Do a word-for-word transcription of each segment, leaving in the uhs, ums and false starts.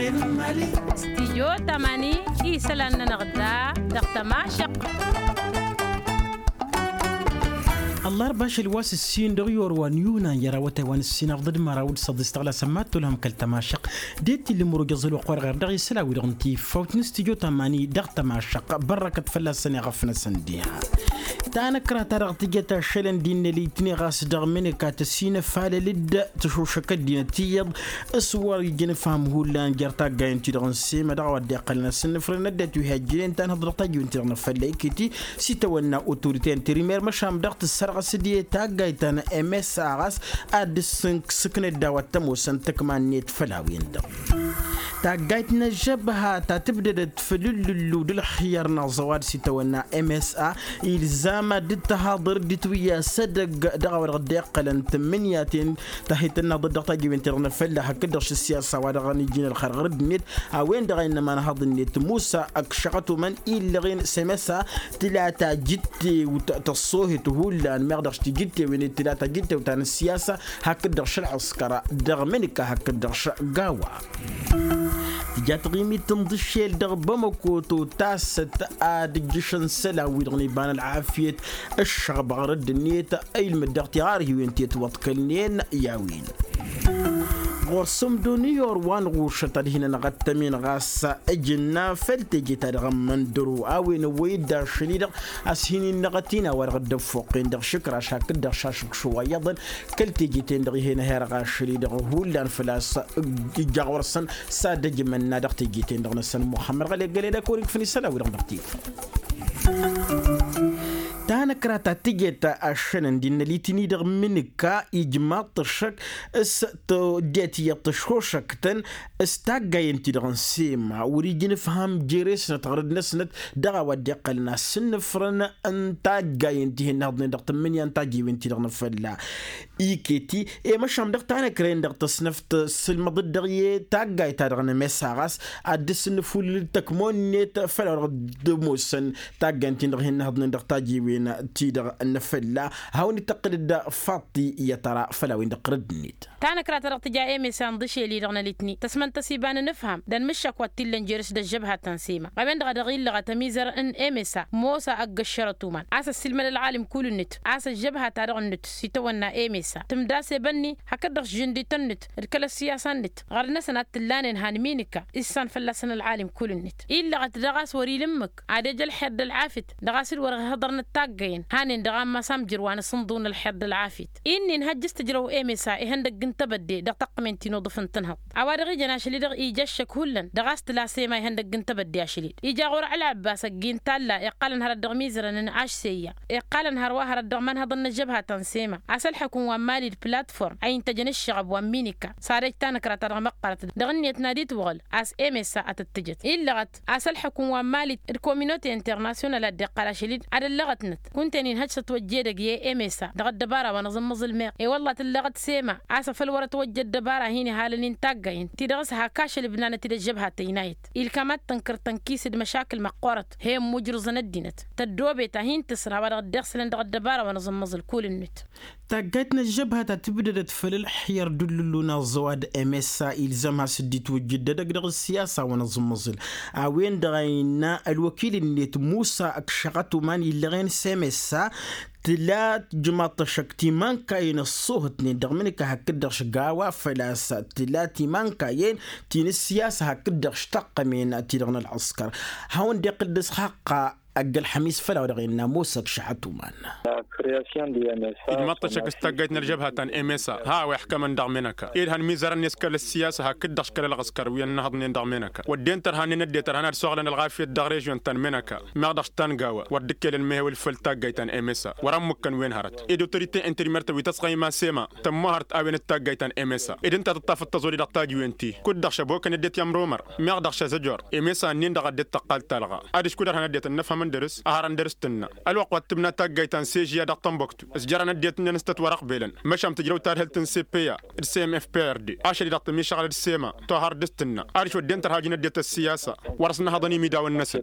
Stijyo tamani isălan-nănăɣ da dăɣ-tămašăq. Ăllarba ašăl wa s-ǝssin dăɣ-iwăr wa n-yunan i-ara awătay wa n-ǝssin ărḍăd măraw d-săḍis tăɣlasăn mad-tolhăm kăl-tămašăq. Dd-tilǝm urǝj ăẓăl wa ăqqoarăɣ ar dăɣ-isălan-wi-dăɣ n-tiffawt n-stijyo tamani dăɣ-tămašăq. Bărrăkăt fălla-săn iɣăf-năsăn diha. Tanăkra-ta-dăɣ tǝjăt ašălăn d-innă litni ɣas dăɣ-mǝnǝka tăsinăfalăl-dd tăšošăk ăddinăt iyyăḍ s-wăr ijăn ǝfham hullan jer-taggayen-ti-dăɣ n-sema dăɣ-a-wa dd-iqqălăn asǝnnǝfrăn ăddinăt wi hajjănen tanhăḍ dăɣ-tajǝwen-ti-dăɣ n-afălla iket-i s-itawănna otorite n-terimmer măšan dăɣ-tǝssărɣăs d-e taggayt ta n-msa ɣas ad-dd-sǝknăd d-a-wa t-ămoosăn tǝkma-net făll-a-wen-dăɣ. Taggayt n-ăžžăbha ta tǝbdădăt făll-ǝllǝllu d-ǝlxǝyyăr n-aẓăwad s-itawănna msa ilzam ad-dd-tăhaḍăr dd-itwǝyya s-edăgg dăɣ-a-wa dăɣ-dd-iqqălăn tǝmmǝnǝyaten. Tahităn n-aḍăt dăɣ-tajiwen-ti-dăɣ n-afălla hakd-dăɣ š-ǝssiyasa wa dăɣ-nǝjjǝn ălxărɣăr-dd-net a-wen-dăɣ a innă imanhaḍ-net musa ăkšăɣăt umăn illăɣen s-emesa tǝla tajǝttewt tăṣṣohet hullan meɣ dăɣ-s tijǝttewen tǝla tajǝttewt ta n-ǝssiyasa hakd-dăɣ š-ălɣǝskăr dăɣ-mǝnǝka hakd-dăɣ š-gawa. Tǝja taɣimit n-iḍǝššel dăɣ-bamăko totasăt ad-ǝjjǝšăn isălan-wi-dăɣ n-iba n-ălɣafyăt ǝššăɣbăɣ rădd-net ilmǝd dăɣ-tiɣarhiwen ti ătwăḍkălnen i-a-wen. Ɣur-sǝmdo n-iyor wa n-ɣušăt ad-hin-ănɣăttămen ɣas ǝjǝnna făll-teje-ta-dăɣ n-imǝndăro a-wen ăwwăy-dd ašăl-i-dăɣ a-s hin-innăɣăt-in a-wa-dăɣ dd-ăffoqqen dăɣ-išǝkraš hakd-dăɣ šašǝkšu wa iyyăḍăn kăl-teje-ten-dăɣ ih'-en ăherăɣ ašăl-i-dăɣ hullan făl-a-s ija ɣur-săn s-ad-ăjmănna dăɣ-teje-ten-dăɣ-năsăn muxămmăd ɣălegăle d-akăwăr-ikfăn isălan-wi-dăɣ dăɣ-tifăt. Tanăkra ta tǝjet ašănăn d-innă litini dăɣ-mǝnǝka ijmaḍ-t ăššăk s-tăddet iyyăḍ tăšošăktăn s-taggayen-ti-dăɣ n-sema wăr-ija inǝfham jere-snăt ɣărăd-năsnăt dăɣ-a-wa dd-iqqălăn asǝnnǝfrăn n-taggayen ti hin-nǝhǝḍnen dăɣ-tǝmmǝnǝya n-tajiwen-ti-dăɣ n-afălla. Iket-i i-măšan dăɣ-tanăkra-en-dăɣ tăsnăft tǝssǝlmăḍ-dd dăɣ-i taggayt-ta-dăɣ n-emesa ɣas ad-dd-sǝnnǝfulǝl tăkmo-net făll-a-wa dăɣ-dd-ămoosăn taggayen-tin-dăɣ hin-nǝhǝḍnen dăɣ-tajiwen-ti-dăɣ n-afălla. Hawăn-dd-tăqqǝl-dd faḍt-i i-ad-tăra făll-a-wen-dăɣ ɣărăd-net. Tanăkra-ta-dăɣ tǝja emesa n-iḍǝšel-i-dăɣ n-alitni tăsmăn-tăs iba n-inǝfham d-anmǝššak wa t-illăn jer-s d-ăžžăbha ta n-sema a-wen-dăɣ a dăɣ-illăɣăt ămizăr n-emesa mosa ăgg-ăššărăt uman a-s ăssiilmăd ălɣalim kull-net a-s ăžžăbha-ta-dăɣ-net s-itawănna emesa tǝmdas ebănni hakd-dăɣ s-žǝndităn-net d-kăl-ăssiyasa-net ɣărd-năsăn ad-t-ǝllanen han minǝka issan fălla-săn ălɣalim kull-net illăɣăt daɣ a-s wăr-ila ǝmmǝk ad-ej ălxer d-ălɣafyăt dăɣ-a-s dd-wăr-ăhhăḍărnăt taggayen hanen dăɣ-ammas amjăr wa n-asǝnḍu n-ălxer d-ălɣafyăt. Inn'-in hăjjăs tǝjrăw emesa ihăndăgg n-tebădde dăɣ-taqqǝmen ti n-uḍǝf n-tǝnhăḍt a-wa dăɣ-ijăn ašăl-i-dăɣ ija ăššăk hullan dăɣ-a-s tǝla sema ihăndăgg n-tebădde ašăl-i-dd ija ɣur-ălɣăbbas ăgg-i n-talla iqqalăn hărăt dăɣ-imizărăn n-ašseyya iqqalăn hărwa hărăt dăɣ-imanhăḍăn n-ăžžăbhatăn sema a-s ălḥăkǝm wa n-mali d-platform a intăjăn ǝššăɣăb wa n-minika s-ad-ej tanăkra-ta-dăɣ măqqărăt dăɣ-ǝnniyăt n-ad-itwăɣǝl a-s emesa a tăt-tǝjăt illăɣăt a-s ălḥăkǝm wa n-mali d-kominote internasyonal ad-dd-iqqăl ašăl-i-dd ad-ăllăɣătnăt kunta-en inhăj s-ătwăjja edăgg i-emesa dăɣ-ăddăbara wa n-aẓǝmmăẓǝl meɣ i-wălla tǝllăɣăt sema a-s afăl wăr-ătwăjja ăddăbara a hin-ihalăn-in taggayen ti dăɣ-s hak ašăl ǝbnanăt-dd ăžžăbha tăynayăt ilkam ad-tǝnkăr tănkis d-măšakǝl măqqoorăt he-ǝmmujrǝẓăn ăddinăt tăddoobet a hin-tǝsra a-wa dăɣ-dd-iɣsǝlăn dăɣ-ăddăbara wa n-aẓǝmmăẓǝl kull-net. Taggayt n-ăžžăbha ta tǝbdădăt făll-ǝlxǝyyăr d-ullǝllu n-aẓẓăwad msa ilzăm has-dd-itwǝjjǝd edăgg dăɣ-ǝssiyasa wa n-aẓǝmmăẓǝl a-wen-dăɣ a innă ălwăkil-net musa ăkšăɣăt uman illăɣen s-emsa tǝla tǝjmaḍ-t ăššăk timankayen ăṣṣuhǝtnen dăɣ-imǝnǝka hakd-dăɣ šăgg a-wa făl-a-s tǝla timankayen ti n-ǝssiyasa hakd-dăɣ š-taqqămen-ti-dăɣ n-ălɣǝskăr. Hawăn-dd-iqqǝl d-asxaqqa ăgg-ălxămis făll-a-wa dăɣ-innă mosa ăkšăɣăt uman. Ijmaḍ-t ăššăk s-taggayt n-ălžăbha ta n-emesa ha a-wa iḥkămăn dăɣ-menăka ed hăn mizărăn-net kăl-ăssiyasa hakd-dăɣ š-kăl-ălɣǝskăr wi ănnăhăḍnen dăɣ-menăka wădden tărha-nen ăddinăt ărhan ad-soɣlăn ălɣafyăt dăɣ-režyon ta n-menăka meɣ dăɣ-s ta n-gawa wăr dd-ǝkkelăn mehewăl făll-taggayt ta n-emesa wăr-ămmǝkkăn wen hărăt ed otorite interimert wi tăsɣăyma s-ema tămmohărt a-wen d-taggayt ta n-emesa ed ǝnta a tǝṭṭafăt tăẓodi dăɣ-tajiwen-ti kud-dăɣ šăbokăn ăddinăt i-ămromăr meɣ dăɣ-šăzăjor emesa ǝnnin-dăɣ ăddinăt tăqqal talɣa adiš kud-ărhan ăddinăt ănnăfhămăn dăr-s ăhărăn dăr-s tǝnna ălwăqq wa t-tǝbna taggayt ta n-sežya dăɣ-tănbuktu s-jărăn ăddinăt-ǝnnin s-tăt-wăr-ăqbelăn măšan tǝjrăw tadhǝlt n-sepeya d-semefprd ašăl-i-dăɣ tămišăɣlăd s-ema tohăr dăr-s tǝnna adiš wădden tărha ǝjǝn ăddinăt ăssiyasa wăr-ăsnăhăḍăn imidawăn-năsăn.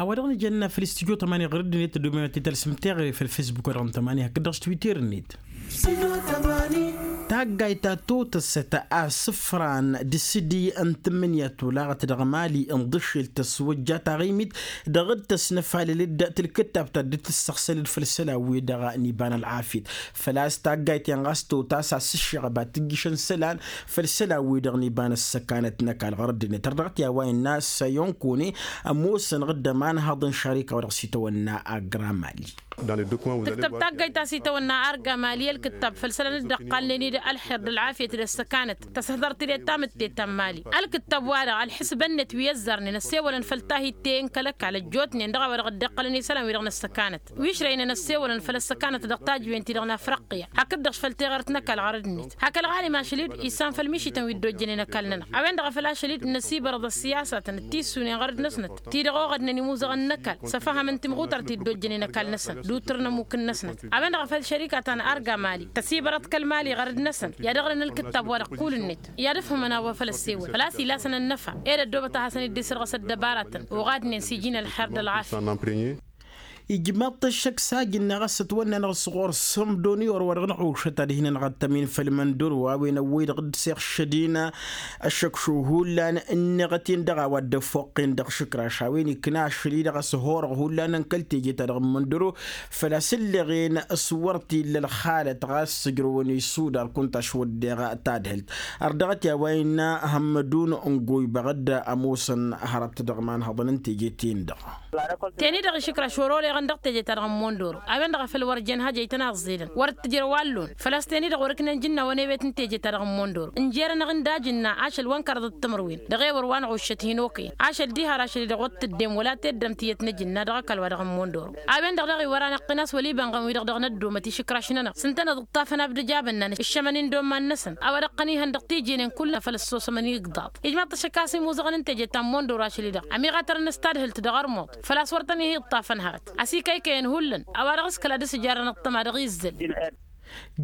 A-wa dăɣ-nǝjănna făll-studyo tămani ɣur-dd-net ăddoben wa t-talsǝm teɣăre făll-fesbuk wa dăɣ-nǝtămani hakd-dăɣ s-twitter-net. Studyo tămani. Taggayt ta totăsăt asǝfran d-asǝdi n-tǝmmǝnǝya tolaɣăt dăɣ-mali n-iḍǝššel tăswăjja taɣimit dăɣ-dd-tăsnăfalăl-dd tǝlkǝttabtăt dd-tǝssăɣsălăd făll-isălan-wi-dăɣ n-iba n-ălɣafyăt. Făl-a-s taggayt-en ɣas totăs asǝššăɣăb ad-tǝjjǝšăn isălan făll-isălan-wi-dăɣ n-iba n-ăssăkanăt n-ăkall ɣur-dd-net ărdăɣăt i-a-wa innă săyăn kone ămoosăn ɣǝddăm anhăḍ n-šărika wa dăɣ-s itawănna agra mali. Tǝktăb taggayt ta s-itawănna arga mali ălkǝttab făll-isălan dd-ăqqalnen-dd ălxer d-ălɣafyăt d-ăssăkanăt tăshăḍăr-t-dd tamǝtte ta n-mali. Ălkǝttab-wa-dăɣ ălḥǝsbăn-net wi ăzzarnen ăssewălăn făll-tahit-te n-kăl-ăkall ăjjootnen dăɣ-a-wa dăɣ-dd-iqqălăn isălan-wi-dăɣ n-ăssăkanăt wi ǝšrăynen ăssewălăn făll-ăssăkanăt dăɣ-tajǝwen-ti-dăɣ n-afriqya hakd-dăɣ-š făll-teɣărt n-ăkall ɣărăd-net. Hak ălɣalim ašăl-dd isan făll-mišităn wi dd-ojjănen ăkall-nănăɣ a-wen-dăɣ a făl ašăl-dd năsibărăḍ ăssiyasatăn d-tissunen ɣărăd-năsnăt ti-dăɣ oɣădnen imuzăɣăn n-ăkall s-afăhăm n-timɣutart ti dd-ojjănen ăkall-năsăn d-uttǝr n-ămmuk-năsnăt. A-wen-dăɣ a făl šărika ta n-arga mali tăsibărăḍ kăl-mali ɣărăd-năsăn i-ad-ăɣrǝn ǝlkǝttab wa dăɣ-kull-net i-ad-ǝfhǝmăn a-wa făl ăssewăl făl-a-s ilasăn ănnăfa. Ed ăddoobăt a hasăn-dd-isǝrɣǝs ăddăbaratăn oɣadnen s-iji n-ălxer d-ălɣafya. Ijmaḍ-t ăššăk s-ajǝnna ɣas ătwănna-năɣ s-ɣur-sǝmdon i-orwa dăɣ-năɣušăt ad-hin-ănɣăttăm-in făll-imăndor wa a-wen ăwwăy-dăɣ dd-seɣšăd-in ăššăkšu hullan ǝnneɣăt-in dăɣ-a-wa dd-ăffoqqen dăɣ-išǝkraš a-wen ikna ašăl-i-dăɣ a-s horăɣ hullan n-kăl-teje-ta-dăɣ n-imăndor. Făl-a-s ǝlleɣen s-wăr t-illa ălxalăt ɣas sǝjrăwăn isudar kunta ašwăddeɣ tadhǝlt. Ărdăɣăt i-a-wa innă hămmădun n-goybăɣ-dd ămoosăn hărăt dăɣ-imanhăḍăn n-teje-ten-dăɣ. Teni-dăɣ išǝkraš wăr-oleɣăn dăɣ-teje-ta-dăɣ n-mondoro a-wen-dăɣ a făl wăr jen hajăy tăn-aẓẓedăn wăr t-ǝjrăw allon. Făl-a-s teni-dăɣ wăr-ǝknen jǝnna wănewet n-teje-ta-dăɣ n-mondoro ǝnjer-anăɣ-in d-ajǝnna ašăl wa n-kăraḍăt timǝrwen dăɣ-ewăr wa n-ɣuššăt hin-okăyăn ašăl diha ar ašăl-i-dăɣ wăr t-ǝddem wăla teddămt iyyăt n-ajǝnna dăɣ-ăkall wa dăɣ-n mondoro. A-wen-dăɣ daɣ iwăr-anăɣ-tăn a-s wăla ibănɣăn-wi-dăɣ dăɣ-năddomăt išǝkraš-nănăɣ s-ǝntăneḍ ǝṭṭafăn abdǝjabăn-nănăɣ ǝššămăn-in d-omman-năsăn a-wa dăɣ-tăn-ihăn dăɣ-tijenen kull-năfăl ăssosămăn igḍaḍ. Ijmaḍ-t ašăk a-s imuzăɣăn n-teje ta n-mondoro ašăl-i-dăɣ ămiɣatărăn s-tadhǝlt dăɣ-ărmuḍ făl-a-s wăr tăn-ih-iṭṭafăn hărăt ăsikăykăyăn hullan. A-wa dăɣ-s kăla dăr-s ǝjarrăn ăṭṭăma dăɣ-izzăl.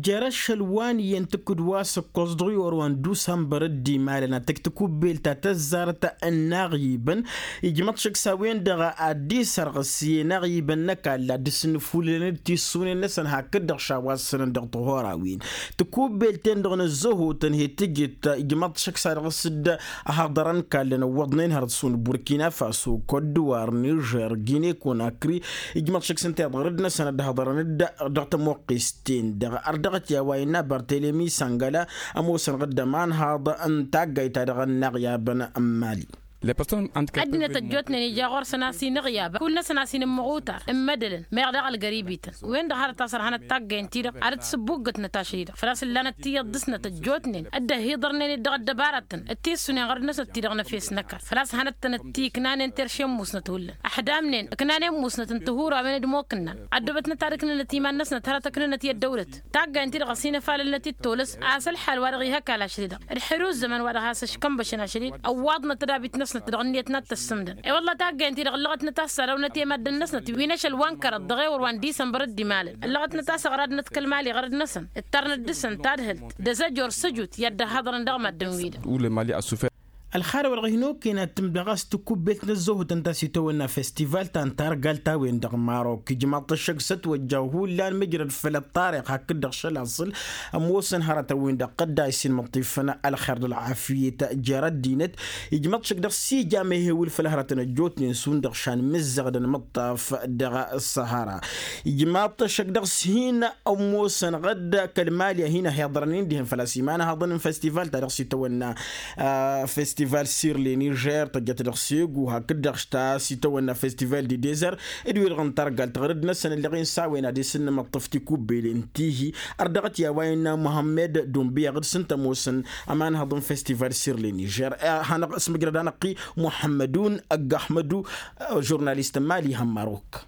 Jer-ašăl wa n-iyyăn tǝkkǝd wa s-ǝkkoẓ dăɣ-i orwa n-dusămbăr dd-imalăn ad-tǝj tikubbelt ta tăzzarăt n-inaɣyibăn. Ijmăḍ šăkk s-a-wen-dăɣ ad-dd-isărɣǝs i-inaɣyibăn n-ăkall ad-dd-sǝnnǝfulǝlăn d-tissunen-năsăn hakd-dăɣ šawassănăn dăɣ-tihora-win. Tikubbelt-ten-dăɣ n-ăzzăhotăn he-tǝjǝt ijmăḍ šăkk s-ad-dăɣ-s dd-ăhaḍărăn kallăn ǝwwăḍnen hărăt šund burkina faso, kodduwar, nižer, gine konakri. Ijmăḍ šăkk s-ǝnta iḍɣăr-dd-năsăn ad-dd-ăhaḍărăn-dd dăɣ-tămoqqes-ten-dăɣ. Ărdăɣăt i-a-wa innă bartelemi săngăla ămoosăn ɣǝddăm anhaḍ n-taggayt-ta-dăɣ n-inaɣyabăn n-mali. Ăddinăt ăjjootnen ija ɣur-săn a-s inǝɣyabăn kull-năsăn a-s inǝmmăɣutar n-imădălăn meɣ daɣ ălgăribităn. Wen-dăɣ hărăt a-s ărhanăt taggayen-ti-dăɣ ad-dd-sǝbbuggǝtnăt ašăl-i-dăɣ făl-a-s ǝllanăt tiyyăḍ dăɣ-snăt ăjjootnen dd-ăhhiḍărnen-dd dăɣ-ăddăbaratăn d-tissunen ɣur-năsnăt ti-dăɣ n-efes n-ăkall făl-a-s hanăt-tăn-dd-tiknanen terše n-musnăt hullan ăḥdamnen ǝknanen musnăt n-tihurawen d-imokǝnnan. Ăddoobătnăt ad-ǝknǝnăt iman-năsnăt hărăt ǝknǝnăt i-ăddăwlăt. Taggayen-ti-dăɣ ăsinăfalălnăt-dd tolăs a-s ălḥal wa dăɣ-ih ăkall ašăl-i-dăɣ d-xăr i-uzzăman wa dăɣ-has-ăškănbăšăn ašăl-i-dăɣ ăwwaḍnăt ădabit-năsnăt dăɣ-ǝnniyăt n-ad-t-ăssǝmdăn. I-wălla taggayen-ti-dăɣ ǝllăɣătnăt a-s săr-awnăt i-maddǝn-năsnăt wi n-ašăl wa n-kăraḍ dăɣ-ewăr wa n-disămbăr dd-imalăn ǝllăɣătnăt a-s ăɣradnăt kăl-mali ɣărăd-năsăn. Ǝttărnăt dăɣ-săn tadhǝlt d-azăjor s-ăjut i-ad-dd-ăhhăḍărăn dăɣ-maddǝn-wi-dăɣ. Ălxarăw-dăɣ hin-okăyăn ad-tǝmdăɣ a-s tikubbelt n-ăzzohăt ǝnta a-s itawănna festival ta n-targalt a-wen-dăɣ marok ijmaḍ-t ăššăk s-ătwăjja hullan mǝjrăd făll-ăṭṭarix hakd-dăɣ šălaṣǝl. Ămoosăn hărătăn-win-dăɣ tădda a-s inmăṭṭifăn ălxer d-ălɣafyăt jer-ăddinăt. Ijmaḍ-t šăk dăɣ-s ija mehewǝl făll-hărătăn ăjjootnen šund-dăɣ šan mǝzzăɣdăn mǝṭṭaf dăɣ-săhara. Ijmaḍ-t šăk dăɣ-s hin-ămoosăn ɣǝd kăl-mali a hin-ăhiḍărăn indihăn făl-a-s imanhăḍăn n-festival ta dăɣ-s itawănna festival sirleni jer tăjjăt dăɣ-segu hakd-dăɣ ta s-itawănna festival di dezer. D-wi-dăɣ n-targalt ɣărăd-năsăn ǝlleɣ-in s-a-wen ad-isǝnnǝmăṭṭăf tikubbelen tihi. Ărdăɣăt i-a-wa innă muhămmed dunbiyăɣ d-sǝnta ămoosăn ămanhăḍ n-festival sirleni jer. Hanăɣ-s mǝjrăd-anăɣ-i muhămmădun ăgg-ăhmădu žurnalist n-mali ihăn marok.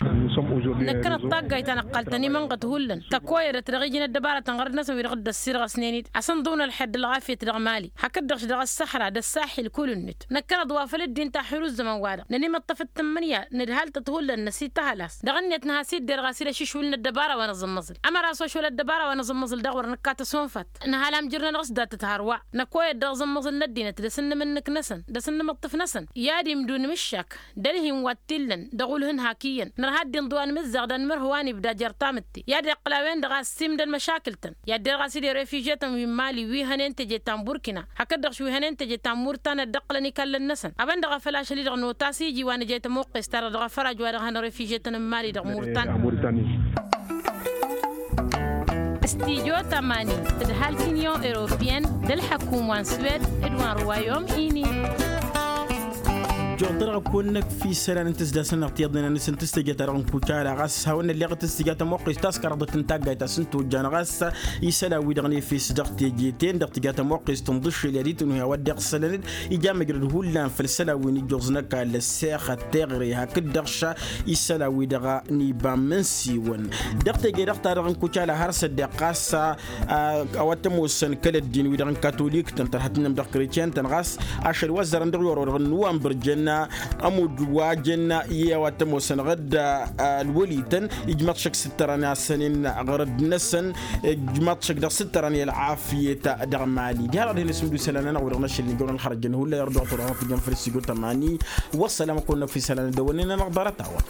Năkkănăt taggayt ta năqqal-tăn imănɣăt hullan tăkoyădăt dăɣ-iji n-ăddăbarătăn ɣărăd-năsăn wi-dăɣ dd-ăssirɣăsnen-dd asǝnḍǝw n-ălxer d-ălɣafyăt dăɣ-mali hakd-dăɣ-š dăɣ-ăssăhra d-ăssaḥ. ălkul-net năkkăneḍ wa făll-ăddin taḥir uzzăman-wa-dăɣ nănimăṭṭăf d-tǝmmǝnǝya nǝdhal-tăt hullan năsităhăl a-s dăɣ-net nǝha s-idder ɣas-dd ašǝšwǝl n-ăddăbara wa nǝẓǝmmăẓǝl ămăra s-ošwăl ăddăbara wa nǝẓǝmmăẓǝl daɣ wăr nǝkka tăsonfat. Nǝhal amjǝr-nănăɣ s-datăt hărwa năkoyăt dăɣ-iẓǝmmăẓǝl n-ăddinăt d-asǝnnǝm-nǝk-năsăn d-asǝnnǝm ǝṭṭǝf-năsăn i-ad-imdun imǝššak d-ălhin wa t-illăn dăɣ-ulhǝn hak iyyăn nărha ăddinăt wa nǝmǝzzaɣ d-anmărhǝw a n-ibda jer-tamǝtte i-ad-iqqǝl a-wen-dăɣ a ăssiimdăn măšakǝl-tăn i-ad-derɣ a-s dd-refiže-tăn wi n-mali wi hănen teje ta n-burkina hakd-dăɣ š-wi hănen teje ta n-murtan ad-dd-ǝqqǝlăn ikallăn-năsăn a-wen-dăɣ a făl ašăl-i-dăɣ notas iji wa nǝjăy tămoqqes-ta-dăɣ dăɣ-afăraž wa dăɣ-hăn refiže-tăn n-mali dăɣ-murtan. Stijo tamani d-hal t-inyon europiyăn d-ălḥăkum wa n-swed d-wa n-ruwayom ini. Juɣ-dăɣ kăwăn-năkf isălan n-tǝzdas-nănăɣ tiyyăḍnen a nǝsǝntǝs teje-ta-dăɣ n-kucala ɣas hawăn-nălleɣ tǝstǝja tămoqqest ta s-kăraḍăt n-taggayt a-s n-tojjan ɣas isălan-wi-dăɣ n-efes dăɣ-teje-ten-dăɣ tǝja tămoqqest n-iḍǝššel i-ad-itǝnhu i-a-wa dd-iɣsălăn-dd ija măjrăd hullan făll-isălan wi n-ijjuẓ n-ăkall ăssexăt teɣre hakd-dăɣ ša isălan-wi-dăɣ n-iba n-imǝnsiwăn. Dăɣ-teje-dăɣ-ta-dăɣ n-kucala har s-ăddeɣ ɣas a-wa t-ămoosăn kăl-ăddin-wi-dăɣ n-katolik-tăn tărha tǝnnăm dăɣ-kretyen-tăn ɣas ašăl wa ăzzarăn dăɣ-i orăw dăɣ-nǝwanbăr jănna ămudd wa jănna i-a-wa t-ămoosăn ɣǝdd ălwăli-tăn. Ijmaḍ šăkk s-ǝttărăn asănen ɣărădd-năsăn ijmaḍ šăkk dăɣ-s ǝttărăn i-ălɣafyăt dăɣ-mali diha-dăɣ dăɣ-hin-ăsmǝddu isălan-nănăɣ wi-dăɣ n-ašăl n-ijorăn xărăjăn hullan irduɣ turăɣ n-tijăn făll-s ijo tămani. Wăssălam a kăwăn-năkf isălan d-ăwănnen-anăɣ ḍarăt-a-wa.